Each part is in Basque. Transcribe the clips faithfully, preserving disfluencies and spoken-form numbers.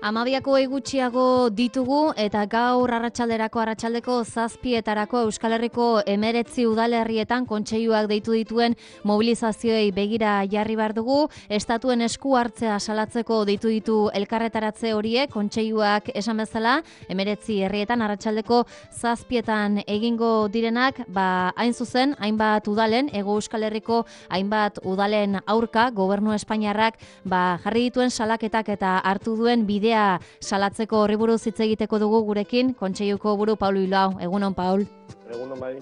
Amabiako gutxiago ditugu eta gaur arratsalderako arratsaldeko zazpietarako Euskal Herriko emeretzi udalerrietan kontseiluak deitu dituen mobilizazioei begira jarri behar dugu. Estatuen esku hartzea salatzeko deitu ditu elkarretaratze horiek kontseiluak esan bezala emeretzi herrietan arratsaldeko zazpietan egingo direnak, ba hain zuzen hainbat udalen, Hego Euskal Herriko hainbat udalen aurka Gobernu Espainiarrak ba jarri dituen salaketak eta hartu duen bidea salatzeko horri buruz hitz egiteko dugu gurekin kontseiluko buru Paul Bilbao. Egunon, Paul. Egunon bai.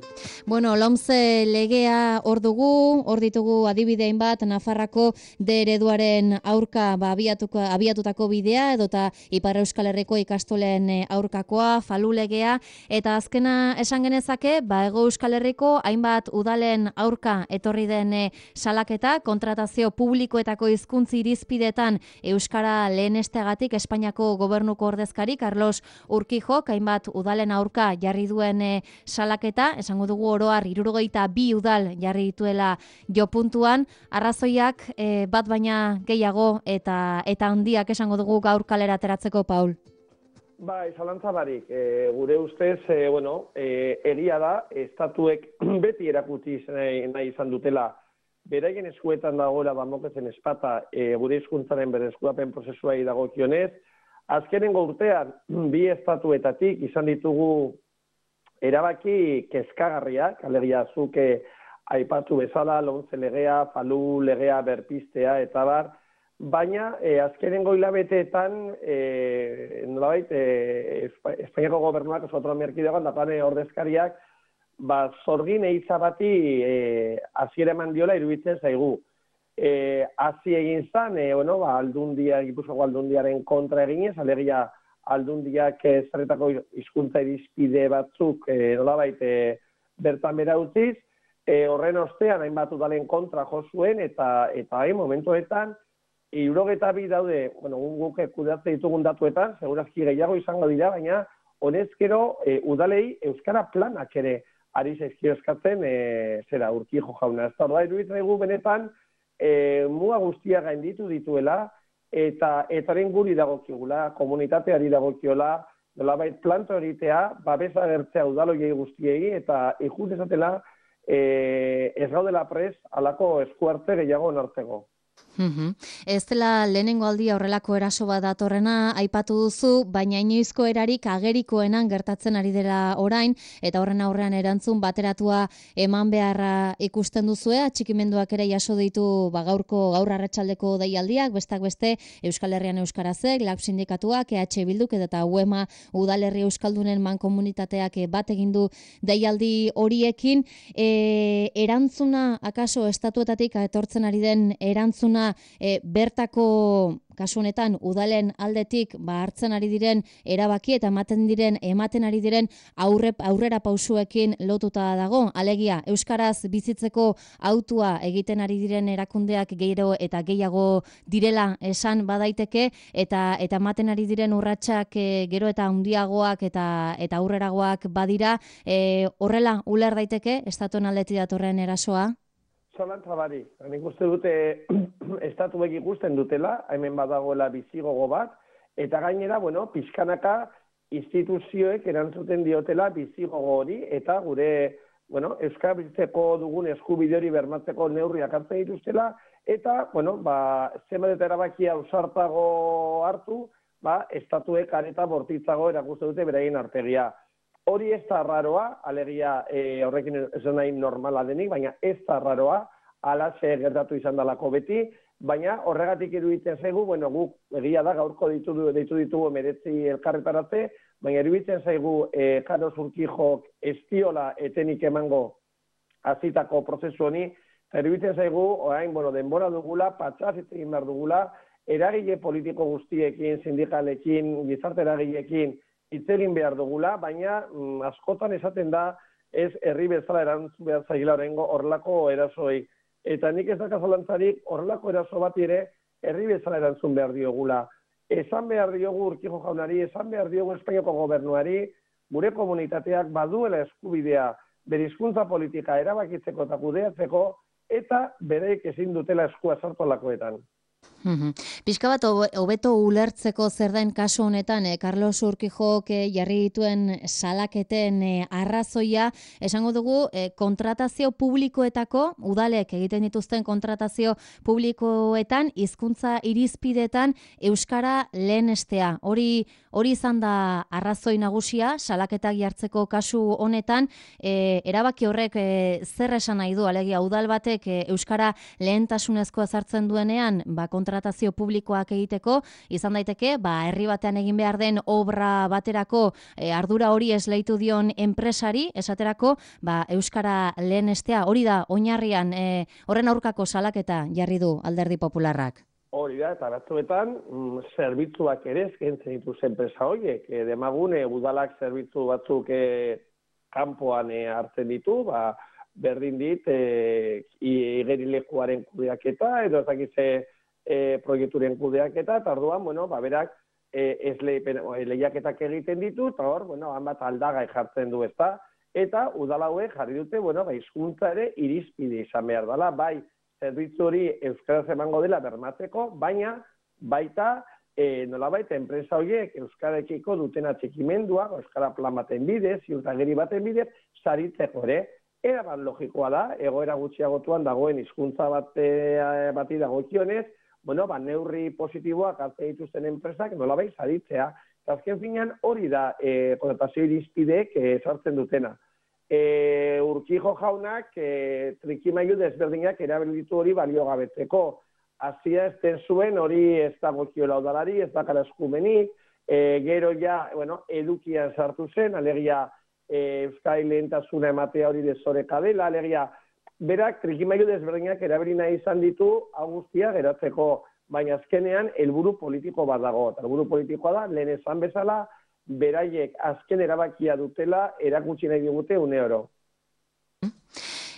Bueno, LOMCE legea hor dugu, hor ditugu adibidein bat Nafarrako D ereduaren aurka ba, abiatuko, abiatutako bidea edota Ipar Euskal Herriko ikastolen aurkakoa, Falu legea, eta azkena esan genezake, ba, Hego Euskal Herriko hainbat udalen aurka etorri den salaketa, kontratazio publikoetako hizkuntza irizpidetan euskara lehenesteagatik Espainiako gobernuko ordezkari Carlos Urquijok hainbat udalen aurka jarri duen salaketa Eta, esango dugu oroar hirurogeita bi udal jarri dituela jo puntuan, arrazoiak e, bat baina gehiago eta eta handiak esango dugu gaur kalera ateratzeko, Paul. Bai, zalantza barik, e, gure ustez, e, bueno, e, egia da, estatuek beti erakutsi nahi, nahi izan dutela, beraien eskuetan dagoela bamokezen espata e, gure hizkuntzaren bereskurapen prozesuai dagokionez, azkenengo urtean bi estatuetatik izan ditugu erabaki kezkagarriak, alegia zuke aipatu bezala, LOMCE legea, Falu legea berpistea eta bar, baina e, azkenengo hilabeteetan e, nolabait e, Espainiako gobernuak oso autonomia erkidegoan dagoen ordezkariak ba zorgin eitza bati e, hasiera eman diola iruditzen zaigu. E, hasi egin zan, e, bueno, ba, aldundia, Gipuzkoako aldundiaren kontra eginez, alegia aldundiak zerretako hizkuntza irizpide batzuk e, nolabait e, bertan bera utziz, e, horren ostean hainbat udalen kontra jo zuen eta eta hain momentuetan hirurogeita bi daude, bueno, guk kudeatze ditugun datuetan, segurazki gehiago izango dira, baina honezkero e, udalei euskara planak ere ari zaizkio eskatzen e, zera Urquijo jauna. Ez da, orda iruditzen zaigu benetan e, muga guztia gainditu dituela, eta etaren guri dagokigula, komunitateari dagokiola, nolabait planto egitea, babesa agertzea udaloiei guztiei, eta ikut ezatela e, ez gaudela pres alako eskuartze gehiago onartzeko. Uhum. Ez dela lehenengo aldia horrelako eraso bat datorrena aipatu duzu, baina inoizko erarik agerikoenan gertatzen ari dela orain, eta horren aurrean erantzun bateratua eman beharra ikusten duzue, atxikimenduak ere jaso ditu ba, gaurko gaur arratsaldeko deialdiak, bestak beste Euskal Herrian Euskarazek, Lab Sindikatuak, E H Bilduk eta U E M A Udalerri Euskaldunen mankomunitateak bat egin du deialdi horiekin. E, erantzuna, akaso estatuetatik etortzen ari den erantzuna E, bertako kasu honetan udalen aldetik ba hartzen ari diren erabaki eta ematen diren ematen ari diren aurre, aurrera pausuekin lotuta dago. Alegia, euskaraz bizitzeko autua egiten ari diren erakundeak gero eta gehiago direla esan badaiteke eta eta ematen ari diren urratsak e, gero eta handiagoak eta eta aurreragoak badira, e, horrela uler daiteke estatuen aldetik datorren erasoa. Zalantza bari, nik uste dute estatuek ikusten dutela, hemen badagoela bizigogo bat, eta gainera, bueno, pixkanaka instituzioek erantzuten diotela bizigogo hori, eta gure, bueno, euskara bizitzeko dugun eskubide hori bermatzeko neurriak hartzen dituztela, eta, bueno, ba, zenbat eta erabakia ausartago hartu, ba, estatuek areta bortitzago erakusten dute beraien artegia. Hori ez da raroa, alegia e, horrekin ez nahi normala denik, baina ez da raroa, alaxe gertatu izan dalako beti, baina horregatik iruditzen zaigu, bueno, guk egia da gaurko ditu, ditu ditugu emeretzi elkarretaratze, baina iruditzen zaigu e, Carlos Urquijok ez diola etenik emango hasitako prozesu honi, eta iruditzen zaigu, orain, bueno, denbora dugula, patxaz egin behar dugula, eragile politiko guztiekin, sindikalekin, gizarte eragileekin, hitz egin behar dugula, baina mm, askotan esaten da ez herri bezala erantzun behar zaila horrengo horrelako erasoi. Eta nik ez daka zalantzarik horrelako eraso bat ere herri bezala erantzun behar diogula. Esan behar diogu Urquijo jaunari, esan behar diogu Espainiako gobernuari, gure komunitateak baduela eskubidea bere hizkuntza politika erabakitzeko eta kudeatzeko, eta bereik ezin dutela eskua sartu alakoetan. Pixka bat hobeto ulertzeko zer den kasu honetan, eh, Carlos Urquijok eh, jarri dituen salaketen eh, arrazoia, esango dugu eh, kontratazio publikoetako, udalek egiten dituzten kontratazio publikoetan, hizkuntza irizpidetan euskara lehenestea. Hori hori izan da arrazoi nagusia, salaketak jartzeko kasu honetan, eh, erabaki horrek eh, zer esan nahi du, alegia udal batek eh, euskara lehentasunezkoa sartzen duenean, ba kontratazio publikoak egiteko, izan daiteke, ba, herri batean egin behar den obra baterako e, ardura hori esleitu dion enpresari, esaterako, ba, euskara lehenestea, hori da, oinarrian, e, horren aurkako salaketa jarri du Alderdi Popularrak. Hori da, eta batzuetan, mm, zerbitzuak ere eskaintzen dituz enpresa horiek, e, demagune udalak zerbitzu batzuk e, kanpoan e, hartzen ditu, ba, berdin dit, e, igerilekuaren kudeaketa, edo ez dakize e, proiekturen kudeaketa, eta orduan, bueno, ba, berak e, ez le, lehiaketak egiten ditu, eta hor, bueno, hanbat aldagai jartzen du ezta, eta udalauek jarri dute, bueno, ba, hizkuntza ere irizpide izan behar dela, bai, zerbitzu hori euskaraz emango dela bermatzeko, baina baita e, nolabait enpresa horiek euskarekiko duten atxikimendua, euskara plan baten bidez, ziurtagiri baten bidez, saritzeko ere. Erabat logikoa da, egoera gutxiagotuan dagoen hizkuntza bate, bati dagokionez, bueno, ba, neurri positiboak hartzen dituzten enpresak nolabait saritzea. Eta azken finean hori da e, kontratazio irizpideek e, sartzen dutena. E, Urquijo jaunak e, trikimailu desberdinak erabili ditu hori baliogabetzeko. Hasia ez zuen hori ez dagokiola udalari, ez dakar eskumenik, e, gero ja, bueno, edukian sartu zen, alegia E, Euskal lehentasuna ematea hori desoreka dela, alegia, berak trikimailu desberdinak erabili nahi izan ditu hau guztia geratzeko, baina azkenean helburu politiko bat dago. Helburu politikoa da, lehen esan bezala, beraiek azken erabakia dutela erakutsi nahi digute une oro.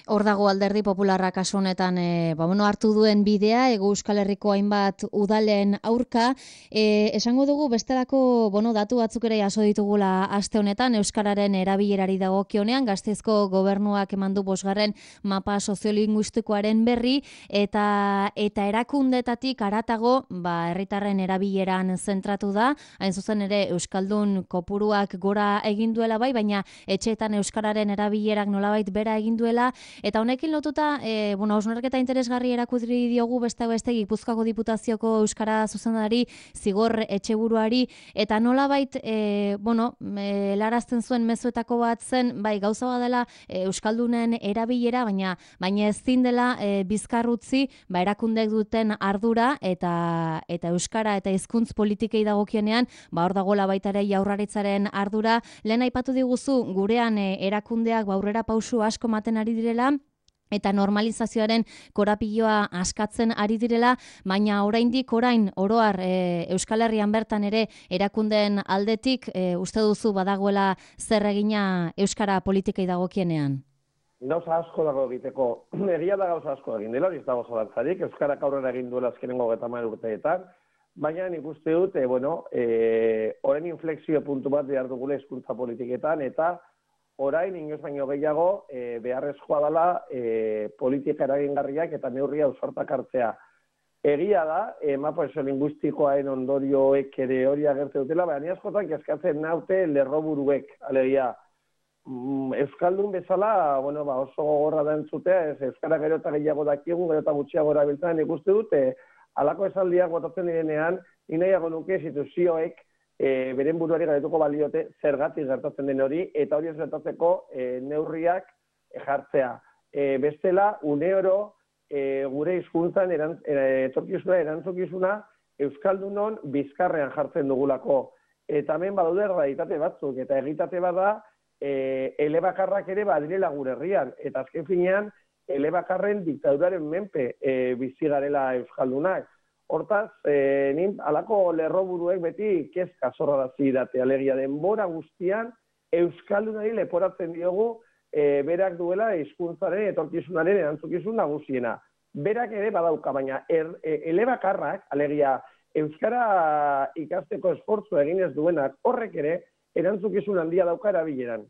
Hor dago Alderdi Popularra kasu honetan e, ba, bueno, hartu duen bidea, Hego Euskal Herriko hainbat udalen aurka. E, esango dugu bestelako bueno, datu batzuk ere jaso ditugula aste honetan, euskararen erabilerari dagokionean, Gasteizko gobernuak eman du bosgarren mapa soziolinguistikoaren berri, eta eta erakundetatik haratago, ba, herritarren erabileran zentratu da, hain zuzen ere euskaldun kopuruak gora egin duela bai, baina etxeetan euskararen erabilerak nolabait bera egin duela. Eta honekin lotuta, e, bueno, hausnarketa interesgarri erakutri diogu beste beste Gipuzkoako Diputazioko euskara zuzendari Zigor Etxeburuari, eta nolabait, e, bueno, e, larazten zuen mezuetako bat zen, bai, gauza badela e, euskaldunen erabilera, baina baina ezin dela e, bizkarrutzi, ba, erakundek duten ardura eta eta euskara eta hizkuntz politikei dagokienean, ba, hor dagoela baita ere Jaurlaritzaren ardura. Lehen aipatu diguzu gurean e, erakundeak ba, aurrera pausu asko ematen ari direla, eta normalizazioaren korapiloa askatzen ari direla, baina oraindik orain oroar e, Euskal Herrian bertan ere erakundeen aldetik e, uste duzu badagoela zer egina euskara politikei dagokienean? Gauza asko dago egiteko. Egia da gauza asko egin dela, hori ez dago zalantzarik, euskarak aurrera egin duela azkenengo hogeita hamar urteetan, baina nik uste dut, e, bueno, e, orain inflexio puntu bat behar dugula hizkuntza politiketan, eta orain, inoz baino gehiago, e, beharrezkoa dela e, politika eragingarriak eta neurria ausartak hartzea. Egia da, e, mapa soziolinguistikoaren ondorioek ere hori agertzen dutela, baina askotan kezkatzen naute lerroburuek, alegia. Mm, Euskaldun bezala, bueno, ba, oso gogorra da entzutea, ez, euskara gero eta gehiago dakigu, gero eta gutxiago erabiltzen, ikuste dute, halako esaldiak botatzen direnean, inahiago nuke instituzioek, E, beren buruari garetuko baliote zergatik gertatzen den hori, eta hori ez gertatzeko e, neurriak e, jartzea. E, bestela, une oro, e, gure hizkuntzan erantz, e, etorkizuna, erantzukizuna, Euskaldunon bizkarrean jartzen dugulako. Eta hemen badaude realitate batzuk, eta egitate bada, e, elebakarrak ere badirela gure herrian, eta azken finean, elebakarren diktaduraren menpe e, bizi garela Euskaldunak. Hortaz, e, nin, alako lerroburuek beti kezka zorrarazi date, alegia denbora guztian euskaldunari leporatzen diogu e, berak duela hizkuntzaren etorkizunaren erantzukizun nagusiena. Berak ere badauka, baina er, e, elebakarrak, alegia euskara ikasteko esfortzu egin ez duenak, horrek ere erantzukizun handia dauka erabileran.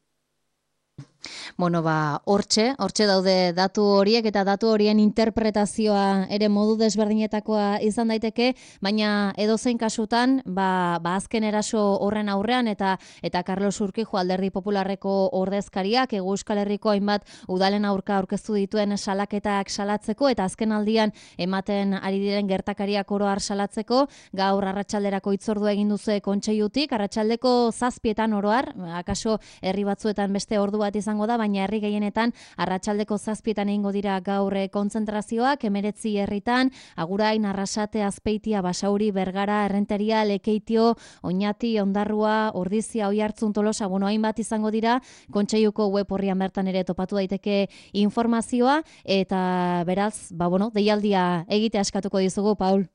Bueno, ba, hortxe, hortxe daude datu horiek eta datu horien interpretazioa ere modu desberdinetakoa izan daiteke, baina edozein kasutan, ba, ba azken eraso horren aurrean eta eta Carlos Urquijo Alderdi Popularreko ordezkariak Hego Euskal Herriko hainbat udalen aurka aurkeztu dituen salaketak salatzeko eta azken aldian ematen ari diren gertakariak oro har salatzeko, gaur arratsalderako hitzordua egin duzu kontseilutik, arratsaldeko zazpietan oro har, akaso herri batzuetan beste ordu bat izango da, baina herri gehienetan arratsaldeko zazpietan egingo dira gaur kontzentrazioak, hemeretzi herritan, Agurain, Arrasate, Azpeitia, Basauri, Bergara, Errenteria, Lekeitio, Oñati, Ondarrua, Ordizia, Oiartzun, Tolosa, bueno, hainbat izango dira, kontseiluko web orrian bertan ere topatu daiteke informazioa, eta beraz, ba, bueno, deialdia egite askatuko dizugu, Paul.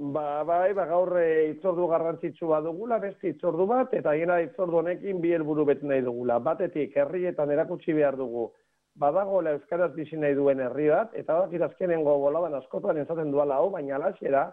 Ba, bai, ba, gaur hitzordu garrantzitsu bat dugula, beste hitzordu bat, eta hiena hitzordu honekin bi helburu bete nahi dugula. Batetik, herrietan erakutsi behar dugu, badagoela euskaraz bizi nahi duen herri bat, eta badakit azkenengo boladan askotan esaten duala hau, baina alaxera,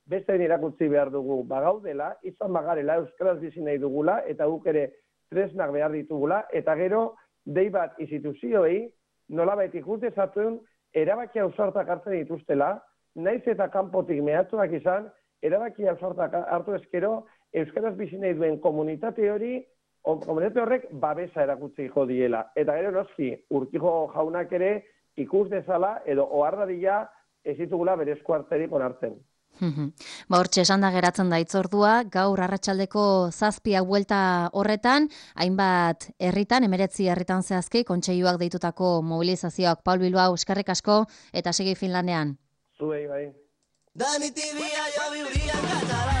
beste erakutsi behar dugu, bagaudela, izan bagarela euskaraz bizi nahi dugula, eta guk ere tresnak behar ditugula, eta gero, dei bat instituzioei, nolabait ikus dezatuen, erabaki ausartak hartzen dituztela, naiz eta kanpotik mehatxuak izan, erabaki ausartak hartu ezkero, euskaraz bizi nahi duen komunitate hori, komunitate horrek babesa erakutsiko diela. Eta gero noski, Urquijo jaunak ere ikus dezala, edo ohardadia ez ditugula berezko hartzerik onartzen. Ba, hortxe esan da geratzen da hitzordua, gaur arratsaldeko zazpia buelta horretan, hainbat herritan, hemeretzi herritan zehazki, kontseiluak deitutako mobilizazioak. Paul Bilbao, eskerrik asko, eta segi Finlandean. Zuei, bai. Dani tibia, jo viuria en català.